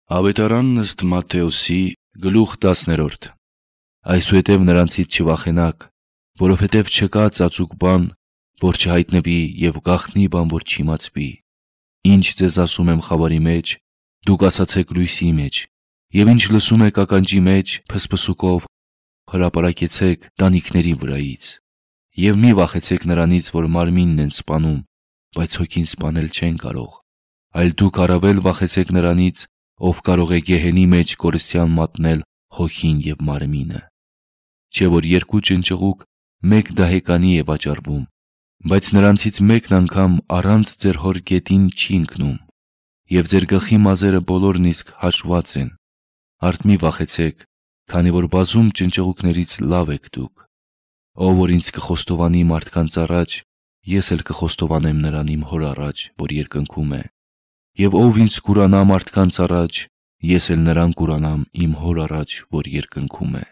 Ավետարանն ըստ Մատթեոսի գլուխ 10. Այսուհետև նրանցից չվախենաք, որովհետև չկա ծածուկ բան, որ չհայտնվի, և գաղտնի բան, որ չիմացվի։ Ինչ ձեզ ասում եմ խավարի մեջ, դուք ասացեք լույսի մեջ, և ինչ լսում եք ականջի մեջ, փսփսուկով հրապարակեցեք տանիքների վրայից։ Եվ մի վախեցեք նրանից, որ մարմինն են սպանում, բայց հոգին սպանել չեն կարող, այլ դուք առավել վախեցեք նրանից, ով կարող է գեհենի մեջ կորստյան մատնել հոգին և մարմինը։ Չէ՞ որ երկու ճնճղուկ մեկ դահեկանի է վաճառվում, բայց նրանցից մեկն անգամ առանց ձեր հոր գետին չի ընկնում, և ձեր գլխի մազերը բոլորն իսկ հաշված են։ Արդ մի վախեցեք, քանի որ բազում ճնճղուկներից լավ եք դուք։ Ով որ ինձ կխոստովանի մարդկանց առաջ, ես էլ կխոստովանեմ նրան իմ հոր առաջ, որ երկնքում է։ Եվ ով ինձ կուրանա մարդկանց առաջ, ես էլ նրան կուրանամ իմ հոր առաջ, որ երկնքում է։